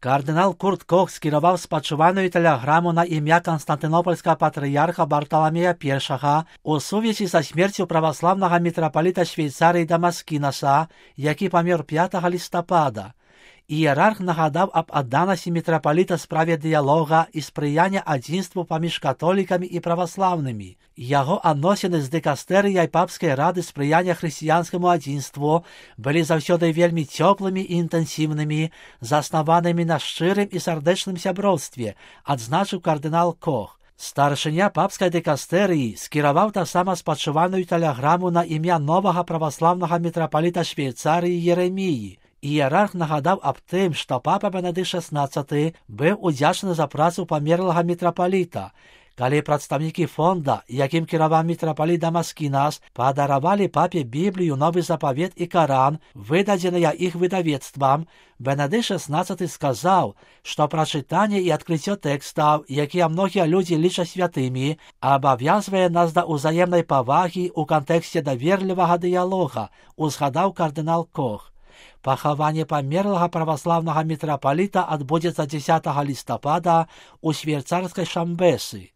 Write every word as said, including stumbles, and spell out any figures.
Кардинал Курт Кох скерував спачувальну телеграму на ім'я Константинопольського патріарха Бартоломея Першого у сувязі со смертю православного митрополита Швейцарії Дамаскінаса, який помер п'ятого листопада. Ієрарх нагадав об отданості митрополита справі діалога і сприяння одинству поміж католиками і православними. Його відносини з дикастерією Папської ради сприяння християнському одинству були завсёды вельми теплими і інтенсивними, заснованими на щирим і сердечним сябровстві, відзначив кардинал Кох. Старшиня папської дикастерії скерував та сама спочивальну телеграму на ім'я нового православного митрополита Швейцарії Єремії. Ієрарх нагадав об тим, що папа Бенедикт шістнадцятий був удячний за працю померлого митрополита, коли представники фонда, яким керував митрополит Дамаскінас, подарували папі Біблію, Новий Заповіт і Коран, видадені їх видавецтвом, Бенедикт шістнадцятий сказав, що прочитання і відкриття текстів, які многі люди лічать святими, обов'язує нас до взаємної поваги у контексті довірливого діалога, узгадав кардинал Кох. Похование померлого православного митрополита отбудется десятого листопада у швейцарской Шамбесы.